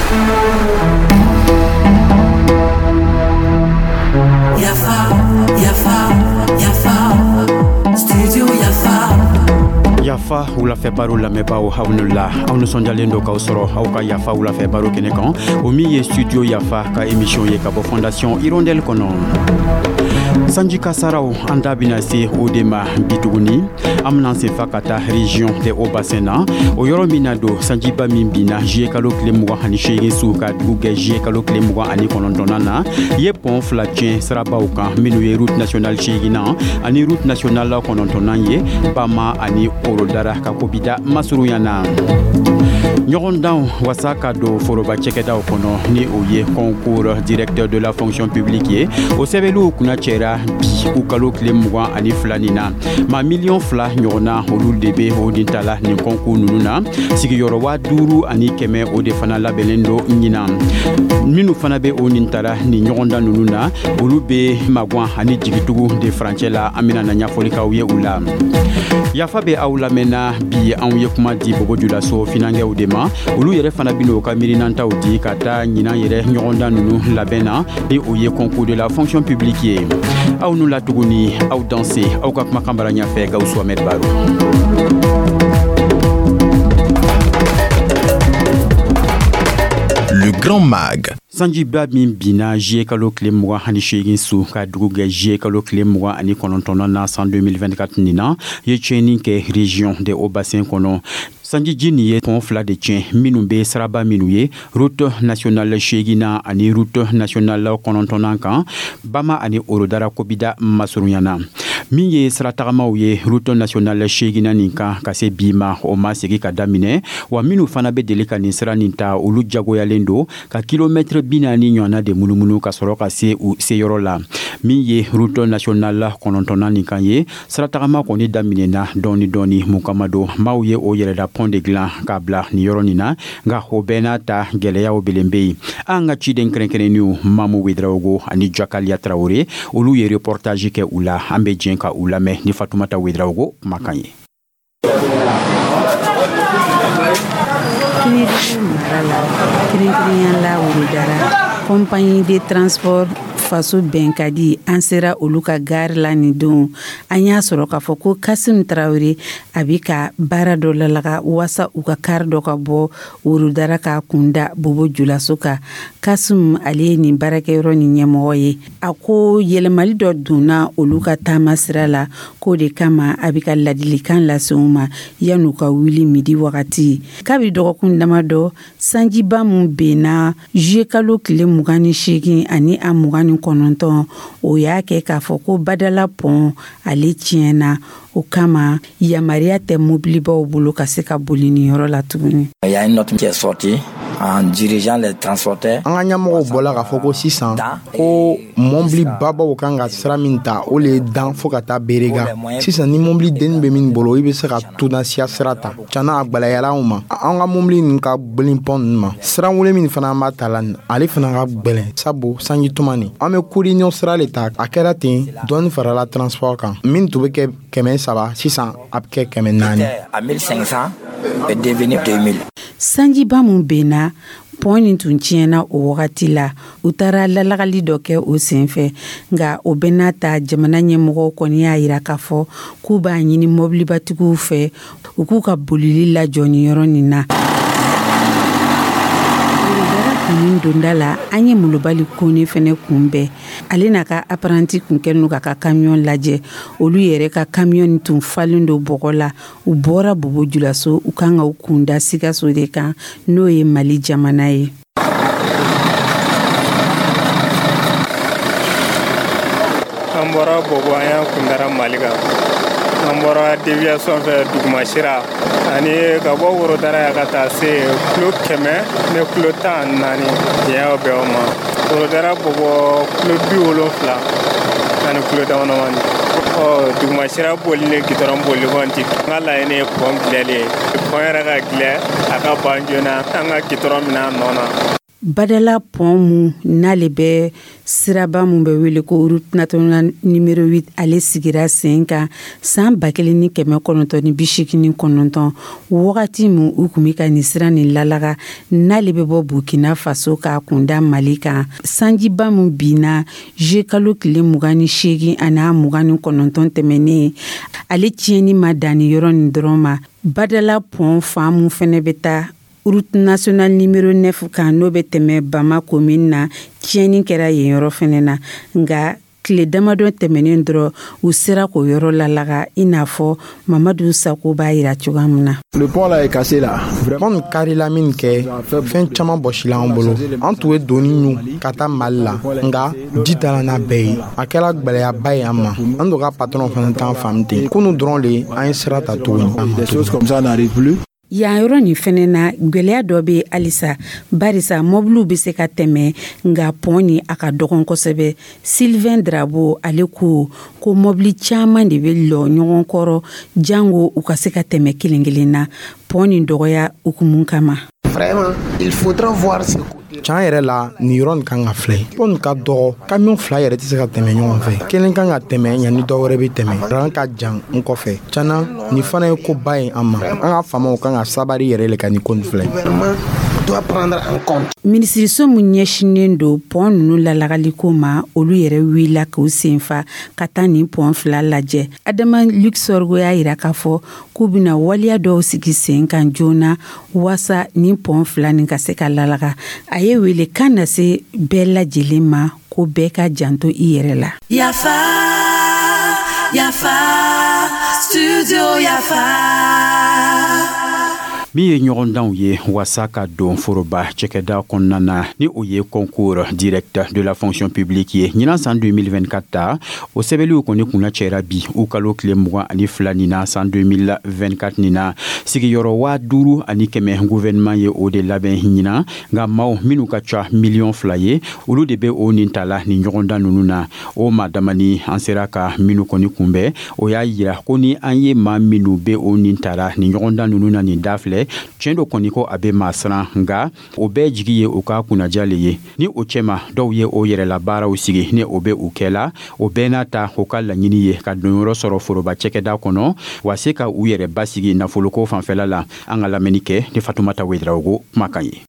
Yafa, Yafa, Yafa, Studio Yafa. Yafa wulafɛ baro lamɛnbaaw, aw ni la. Aw nisɔndiyalen don k'aw sɔrɔ aw ka Yafa wulafɛ baro kɛnɛ kan, o min ye Studio Yafa ka émission ye ka bɔ Fondation Hirondelle kɔnɔ. Sanji kasaraw, an da bɛna se o de ma bi tuguni. An bɛna senfa ka taa région des Hauts Bassins na, o yɔrɔ min na don sanjiba min binna juillet kalo tile 28 su ka dugu gɛ juillet kalo tile 29nan na, ye pont fila tiɲɛ sirabaw kan, minnu ye route nationale seeginnan ani route nationale kɔnɔntɔnnan ye, Bama ani Orodara ka kobida masurunya na. Ɲɔgɔndanw wasa ka don foroba cɛkɛdaw kɔnɔ, ni o ye concours directeur de la fonction publique ye, o sɛbɛnliw kunna cɛra bi u kalo tile 22 nin na. Maa 2 miliyɔn ɲɔgɔnna, olu de be o nin ta la nin concours nunu na. Sigiyɔrɔ 5100, o de fana labɛnnen don ɲinan. Minnu fana be o nin tara nin ɲɔgɔndan nunu na, olu be magwan ani jigitugu de furancɛ la. An bena na ɲɛfɔli k'aw ye u la. Yafa be aw lamɛnna bi. Anw ye kuma di Bobo Julaso finankɛw de ma. Olu yɛrɛ fana ben'o ka miirinantaw di ka taa ɲinan yɛrɛ ɲɔgɔndan nunu labɛn na, ni o ye concours de la fonction publique ye. Aw nu la tuguni, aw danse. Aw ka kumakan bara ɲafɛ, Gawusu Ahmed Baro. Le Grand Mag. Sanjiba min binna juillet kalo tile 28 su ka dugu gɛ juillet kalo tile 29nan na san 2024 nin na, ye tiɲɛni kɛ région des Hauts Bassins kɔnɔ. Sanjiji nin ye pont fila de tiɲɛ, minnu be siraba minnu ye route nationale seeginnan ani route nationale kɔnɔntɔnnan kan, Bama ani Orodara kobida masurunya na. Min ye siratagamaw ye route nationale seeginnan nin kan, ka se bi ma, o ma segi ka daminɛ wa. Minnu fana be deli ka nin sira nin ta, olu jagoyalen don ka kilomɛtɛrɛ 40 ɲɔgɔnna de munumunu ka sɔrɔ ka se u seyɔrɔ la. Min ye route nationale kɔnɔntɔnnan nin kan ye, siratagama kɔni daminɛna dɔɔni dɔɔni. Mun kama don maaw ye o yɛrɛda pont de dilan k'a bila nin yɔrɔ nin na, nka o bɛɛ n'a ta, gwɛlɛyaw belen be yen. An ka ciden kɛrɛnkɛrɛnninw Mamu Wedraogo ani Jakaliya Tarawele, olu ye reportage kɛ u la. An be jɛn ka u lamɛn ni Fatumata Wedraogo kumakan ye. Kinidugu mara la, kɛrɛnkɛrɛnya la Worodara, compagnie de transport Faso Bɛnkadi, an sera olu ka gare la nin don. An y'a sɔrɔ k'a fɔ ko Kasim Tarawele a bi ka baara dɔ lalaga waasa u ka kari dɔ ka bɔ Worodara ka kunda Bobo Julaso kan. Kasim, ale ye nin baarakɛyɔrɔ nin ɲɛmɔgɔ ye. A ko yɛlɛmali dɔ donna olu ka taama sira la, k'o de kama a bi ka ladilikan lase u ma yan'u ka wuli midi wagati. Kabi dɔgɔkun dama dɔ, sanjiba mun benna juillet kalo tile 28 ani a 29, o y'a kɛ k'a fɔ ko Badala pont ale tiɲɛna. O kama yamaruya tɛ mobilibaw bolo ka se ka boli nin yɔrɔ la tuguni. Il y a une note qui est sortie en dirigeant les transporteurs. An ka ɲɛmɔgɔw bɔla k'a fɔ ko sisan ko mɔbili babaw kan ka sira min ta, o le ye Dan fo ka taa Berega. Sisan, ni mɔbili denni bɛ min bolo, i bɛ se ka Tunasiya sira ta. Cana a gwɛlɛyara anw ma, an ka mɔbili ninnu ka gwɛlɛn pont ninnu ma. Sira wele min fana an b'a ta la nin, ale fana ka gwɛlɛn, sabu sanji tuma nin, an bɛ Kuriɲɔ sira le ta. A kɛra ten, dɔɔni farala transport kan. Min tun bɛ kɛ 300, sisan a bɛ kɛ 400. À 1500 est devenu 2000. Sanjiba mun benna, pont nin tun tiɲɛna o wagati la. U taara lalagali dɔ kɛ o senfɛ. Nka o bɛɛ n'a ta, jamana ɲɛmɔgɔw kɔni y'a yira k'a fɔ k'u b'a ɲini mɔbilibatigiw fɛ, u k'u ka bolili lajɔ nin yɔrɔ nin na. Kunun donda la, an ye Molobali Kone fɛnɛ kunbɛn. Ale n'a ka apprenti kun kɛlen don k'a ka camion lajɛ. Olu yɛrɛ ka camion nin tun falen don bɔgɔ la. U bɔra Bobo Julaso, u kan ka u kunda Sikaso de kan, n'o ye Mali jamana ye. An bɔra Bobo, an y'an kundara Mali kan. An bɔra déviation fɛ dugumasira ani ka bɔ Worodara yan ka taa se kilo 114 diɲɛ bɛn o ma. Worodara Bobo, kilo 70 ani kilo damadamani. Ɔ dugumasira boli ni gidɔrɔn boli kɔni ti. N ka laɲini ye pont dilanli ye. Pont yɛrɛ ka dilan, a ka ban joona, an ka gidɔrɔn minɛ a nɔ na. Badala pont mun n'ale bɛ siraba mun bɛ wele ko route nationale numéro 8, ale sigira sen kan san 1989, wagati min u kun bɛ ka nin sira nin lalaga, n'ale bɛ bɔ Burkina Faso k'a kunda Mali kan. Sanjiba mun binna juillet kalo tile 28 ani 29 tɛmɛnen, ale tiɲɛni ma dan nin yɔrɔ nin dɔrɔn ma. Badala pont fan mun fɛnɛ bɛ taa route nationale numéro 9 kan, n'o bɛ tɛmɛ Bama commune na, tiɲɛni kɛra yen yɔrɔ fɛnɛ na. Nka tile damadɔ tɛmɛnen dɔrɔn, u sera k'o yɔrɔ lalaga, i n'a fɔ Mamadu Sako b'a yira cogoya min na. Le pont là est cassé là. Pont nin karila min kɛ, fɛn caman bɔsila an bolo. An tun ye doni ɲu ka taa Mali la, nka ji taara n'a bɛɛ ye. A kɛra gwɛlɛyaba ye an ma. An dɔ ka patron fana t'an faamu ten. Kunu dɔrɔn le an ye sira ta tuguni. Des choses comme ça n'arrivent plus. Yan yɔrɔ nin fɛnɛ na, gwɛlɛya dɔ be halisa, barisa mɔbiliw be se ka tɛmɛ, nga pont ni a ka dɔgɔn kosɛbɛ. Sylvain Drabo, ale ko ko mɔbili caaman de be lɔ ɲɔgɔn kɔrɔ, jango u ka se ka tɛmɛ kelen kelen na, pont nin dɔgɔya hukumu kama. Vraiment, il faudra voir ce côté. Can yɛrɛ la, nin yɔrɔ nin kan ka filɛ. Pont nin ka dɔgɔ, camion fila yɛrɛ tɛ se ka tɛmɛ ɲɔgɔn fɛ. Kelen kan ka tɛmɛ yanni dɔ wɛrɛ bɛ tɛmɛ. Ran ka jan n kɔfɛ. Cana nin fana ye koba ye an ma. An ka faamaw kan ka sabari yɛrɛ le ka nin ko nin filɛ. Gouvernement doit prendre en compte. Minisiriso min ɲɛsinnen don pont nunu lalagaliko ma, olu yɛrɛ wulila k'u senfa ka taa nin pont fila lajɛ. Adama Luc Sorgho y'a yira k'a fɔ k'u bɛna waleya dɔw sigi sen kan joona waasa nin pont fila nin ka se ka lalaga. A ye wele kan na se bɛɛ lajɛlen ma ko bɛɛ ka janto i yɛrɛ la. Yafa, Yafa, Studio Yafa. Min ye ɲɔgɔndanw ye waasa ka don foroba cɛkɛda kɔnɔna na, ni o ye concours direct de la fonction publique ye, ɲinan san 2024 ta, o sɛbɛliw kɔni kunna cɛra bi u kalo tile 22 nin na san 2024 nin na. Sigiyɔrɔ 5100, gouvernement ye o de labɛn ɲinan, nka maaw minnu ka ca miliyɔn 2 ye, olu de bɛ o nin ta la nin ɲɔgɔndan ninnu na. O maa damani an sera ka minnu kɔni kunbɛn, o y'a yira ko ni an ye maa minnu bɛ o nin ta la nin ɲɔgɔndan ninnu na nin da filɛ, tiɲɛ dɔ kɔni ko a bɛ maa siran, nka o bɛɛ jigi ye u ka kunnaja le ye. Ni o cɛma, dɔw ye o yɛrɛla baaraw sigi ni o bɛ u kɛ la. O bɛɛ n'a ta, u ka laɲini ye ka donyɔrɔ sɔrɔ foroba cɛkɛda kɔnɔ wa se ka u yɛrɛ basigi nafoloko fanfɛla la. An ka lamɛnni kɛ ni Fatumata Wedarawogo kumakan ye.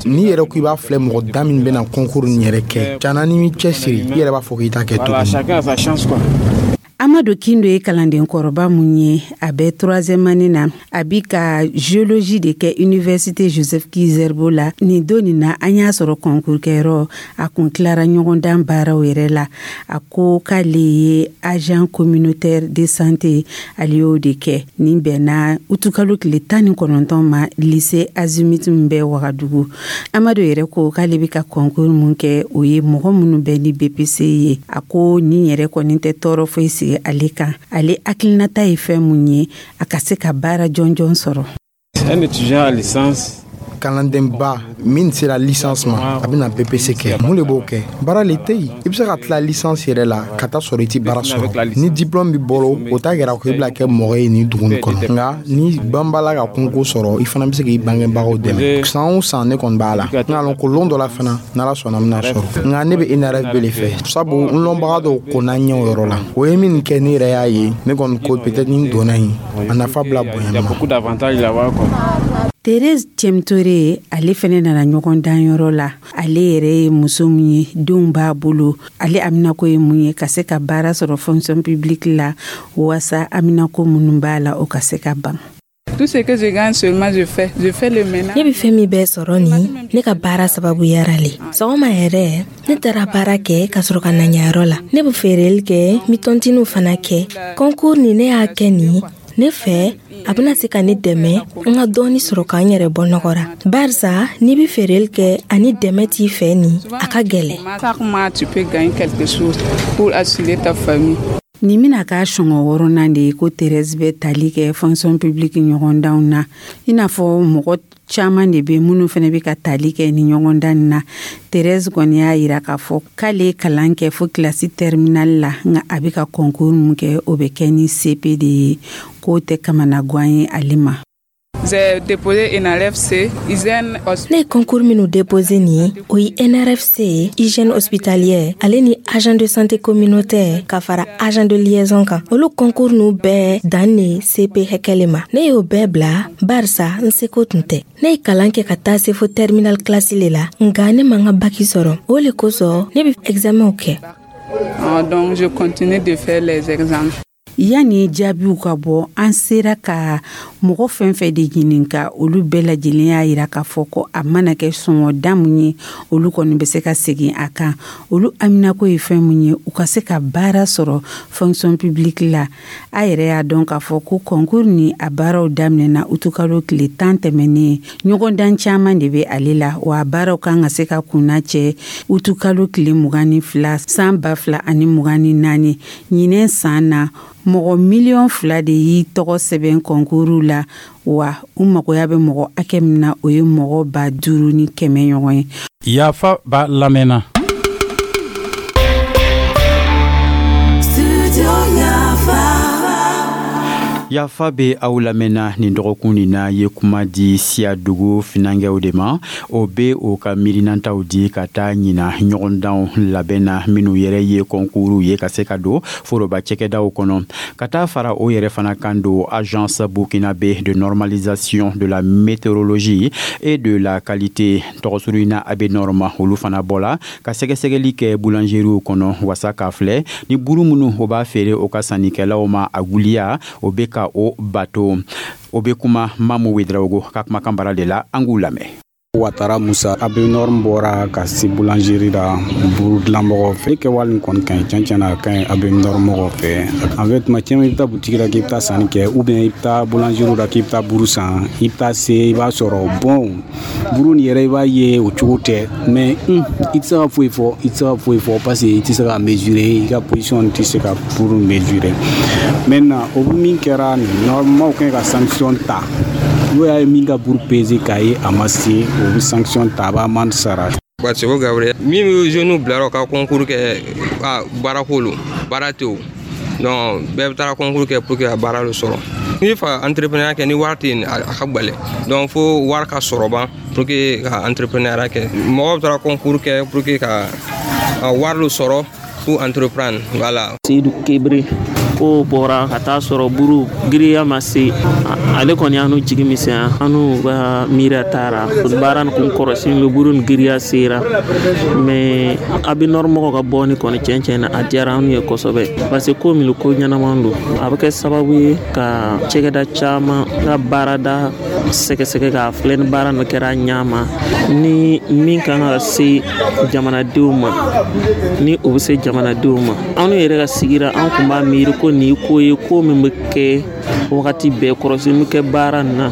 N'i yɛrɛ ko i b'a filɛ, mɔgɔ da min bɛna concours nin yɛrɛ kɛ, cana n'i m'i cɛsiri, i yɛrɛ b'a fɔ k'i t'a kɛ tuguni. Amadu Kindo ye kalanden kɔrɔba mun ye, a bɛ troisième année na, a bi ka géologie de kɛ Université Joseph Ki-Zerbo la. Nin don nin na, an y'a sɔrɔ concours kɛyɔrɔ, a kun tilara ɲɔgɔndan baaraw yɛrɛ la. A ko k'ale ye agent communautaire de santé, ale y'o de kɛ. Nin bɛnna utukalo tile 19 ma, lycée Azimut min bɛ Wagadugu. Amadu yɛrɛ ko k'ale bɛ ka concours mun kɛ, o ye mɔgɔ minnu bɛ ni BPC ye. A ko nin yɛrɛ kɔni tɛ tɔɔrɔ foyi sigi ale kan. Ale hakilinata ye fɛn mun ye, a ka se ka baara jɔnjɔn sɔrɔ. Un étudiant à licence. Kalandenba min sera licence ma, a bɛna BPC kɛ, mun de b'o kɛ? Baara le tɛ yen. I bɛ se ka tila licence yɛrɛ la ka taa sɔrɔ i ti baara sɔrɔ. Ni diplôme b'i bolo, o t'a yira ko i bɛna kɛ mɔgɔ ye nin dugu nin kɔnɔ. Nka ni banbala ka concours sɔrɔ, i fana bɛ se k'i bangebagaw dɛmɛ. San o san ne kɔni b'a la, n k'a lɔn ko lon dɔ la fana, n'Ala sɔnna, n bɛna sɔrɔ. Nka ne bɛ INRFB le fɛ, sabu n lɔnbaga dɔw kɔnna ɲɛ o yɔrɔ la. O ye min kɛ, ne yɛrɛ y'a ye, ne kɔni ko peut-être ni n donna yen, a nafa bila bonya Il y a ma. beaucoup d'avantages là-bas, quoi. Therese Cemtore, ale fɛnɛ nana ɲɔgɔn danyɔrɔ la. Ale yɛrɛ ye muso min ye, denw b'a bolo. Ale aminako ye mun ye? Ka se ka baara sɔrɔ fonction publique la, waasa aminako minnu b'a la, o ka se ka ban. Tout ce que je gagne seulement, je fais. Je fais le ménage. Ne bɛ fɛn min bɛɛ sɔrɔ nin, ne ka baara sababuyara le. Sɔgɔma yɛrɛ, ne taara baara kɛ ka sɔrɔ ka na ɲayɔrɔ la. Ne bɛ feereli kɛ, n bɛ tɔntiniw fana kɛ. Concours nin, ne y'a kɛ nin ne fɛ, a bɛna se ka ne dɛmɛ n ka dɔɔni sɔrɔ k'an yɛrɛ bɔ nɔgɔ ra, barisa n'i bɛ feereli kɛ ani dɛmɛ t'i fɛ nin, a ka gɛlɛn. Chaque mois, tu peux gagner quelque chose pour assurer ta famille. Nin bɛna k'a sɔngɔ wɔɔrɔnan de ye ko Therese bɛ tali kɛ fonction publique ɲɔgɔndanw na, i n'a fɔ mɔgɔ caman de bɛ minnu fana bɛ ka tali kɛ ni ɲɔgɔndan nin na. Therese kɔni y'a yira k'a fɔ k'ale ye kalan kɛ fo kilasi terminale la, nka a bɛ ka concours min kɛ, o bɛ kɛ ni CP de ye, k'o tɛ kamanagan ye ale ma. J'ai déposé NRFC, hygiène. Ne ye concours minnu déposé nin, o ye NRFC, hygiène hospitalière, ale ni agent de santé communautaire, ka fara agent de liaison kan. Olu concours nu bɛɛ dan ne CP hɛkɛ le ma. Ne y'o bɛɛ bila barisa n seko tun tɛ. Ne ye kalan kɛ ka taa se fo terminal classe le la, nga ne man ka baki sɔrɔ. O le kosɔn ne be examenw kɛ. Donc je continue de faire les examens. Yanni jaabiw ka bɔ, an sera ka mɔgɔ fɛn fɛn de ɲininka, olu bɛɛ lajɛlen y'a yira k'a fɔ ko a mana kɛ sɔngɔda mun ye, olu kɔni bɛ se ka segin a kan. Olu haminako ye fɛn mun ye, u ka se ka baara sɔrɔ fonction publique la. A yɛrɛ y'a dɔn k'a fɔ ko concours ni a baaraw daminɛna utukalo tile 10 tɛmɛnen. Ɲɔgɔndan caman de bɛ ale la, wa a baaraw kan ka se ka kunna cɛ utukalo tile 22 san 2024. Ɲinɛ san na, mɔgɔ miliyɔn 2 de y'i tɔgɔ sɛbɛn kɔnkuru la, wa u magoya bɛ mɔgɔ hakɛ min na, o ye mɔgɔ 5100 ɲɔgɔn ye. Yafa b'a lamɛnna. Yafa bɛ aw lamɛnna nin dɔgɔkun nin na ye kuma di Siyadugu finankɛw de ma. O bɛ o ka miirinantaw di ka taa ɲina ɲɔgɔndanw labɛn na, minnu yɛrɛ ye kɔnkuru ye ka se ka don foroba cɛkɛdaw kɔnɔ. Ka taa fara o yɛrɛ fana kan don Agence burkinabé de normalisation de la météorologie et de la qualité, tɔgɔsuru na ABNORM, olu fana bɔla ka sɛgɛsɛgɛli kɛ boulangeriew kɔnɔ wasa k'a filɛ ni buru minnu o b'a feere o ka sannikɛlaw ma, a guliya o bɛ ka o bato. O bɛ kuma Mamu Wedraogo ka kumakan bara de la, an k'u lamɛn. Watara Musa. ABNORM bɔra ka se boulangerie la buru dilanbagaw fɛ. Kɛwale nin kɔni ka ɲi, tiɲɛ tiɲɛ na, a ka ɲi ABNORM mɔgɔw fɛ. En fait, tuma caman i bɛ taa boutique la k'i bɛ taa sanni kɛ, ou bien i bɛ taa boulangerie la k'i bɛ taa buru san, i bɛ taa se, i b'a sɔrɔ bon buru nin yɛrɛ, i b'a ye o cogo tɛ, mais i tɛ se ka foyi fɔ, i tɛ se ka foyi fɔ parce que i tɛ se ka mesurer, i ka position tɛ se ka buru mesurer. Maintenant, o min kɛra nin, normalement u kan ka sanction ta. N'o y'a ye min ka buru peser k'a ye a ma se, o bɛ sanction ta, a b'a amende sara. Seko Gabriel, min bɛ jeunes bilara u ka concours kɛ baarako lo, baara tɛ o, donc bɛɛ bɛ taara concours kɛ pour que ka baara dɔ sɔrɔ. N'i bɛ fɛ ka entrepreneuriat kɛ, ni wari tɛ yen, a ka gɛlɛn, donc fo wari ka sɔrɔ ban pour que ka entrepreneuriat kɛ. Mɔgɔw bɛ taara concours kɛ pour que ka wari dɔ sɔrɔ pour entreprendre, voilà. Seydou Kebre ko bɔra ka taa sɔrɔ buru giriya ma se, ale kɔni y'an jigi misɛnya, an n'u ka miiriya taara baara nin kun kɔrɔsi bɛ buru ni giriya sera, mais ABNORM mɔgɔw ka bɔ ni kɔni tiɲɛ tiɲɛ na, a diyara an ye kosɛbɛ, parce que ko min ko ɲɛnama don, a bɛ kɛ sababu ye ka cɛkɛda caman ka baarada sɛgɛsɛgɛ k'a filɛ ni baara nin kɛra ɲa ma, ni min kan ka se jamanadenw ma, ni o bɛ se jamanadenw ma. Anw yɛrɛ ka sigira, an kun b'a miiri ko nin ko ye ko min bɛ kɛ wagati bɛɛ, kɔrɔsi bɛ kɛ baara nin na.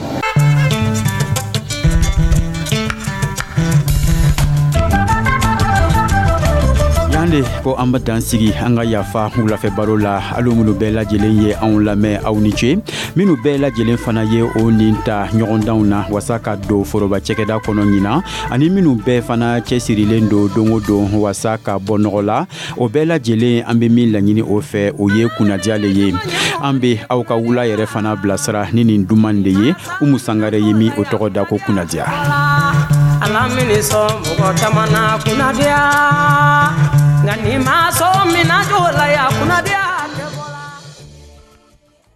Yan de ko an bɛ dan sigi an ka yafa wulafɛ baro la. Alu minnu bɛɛ lajɛlen ye anw lamɛn, aw ni ce. Minnu bɛɛ lajɛlen fana ye o nin ta ɲɔgɔndanw na wasa ka don foroba cɛkɛda kɔnɔ ɲinan, ani minnu bɛɛ fana cɛsirilen don don o don wasa ka bɔ nɔgɔ la, o bɛɛ lajɛlen, an bɛ min laɲini o fɛ, o ye kunnadiya le ye. An bɛ aw ka wula yɛrɛ fana bilasira ni nin duman de ye. Umu Sangare ye min o tɔgɔ da ko kunnadiya. Ala mini sɔn mɔgɔ caman na kunnadiya, nka n'i ma sɔn min na jɔ la ya kunnadiya.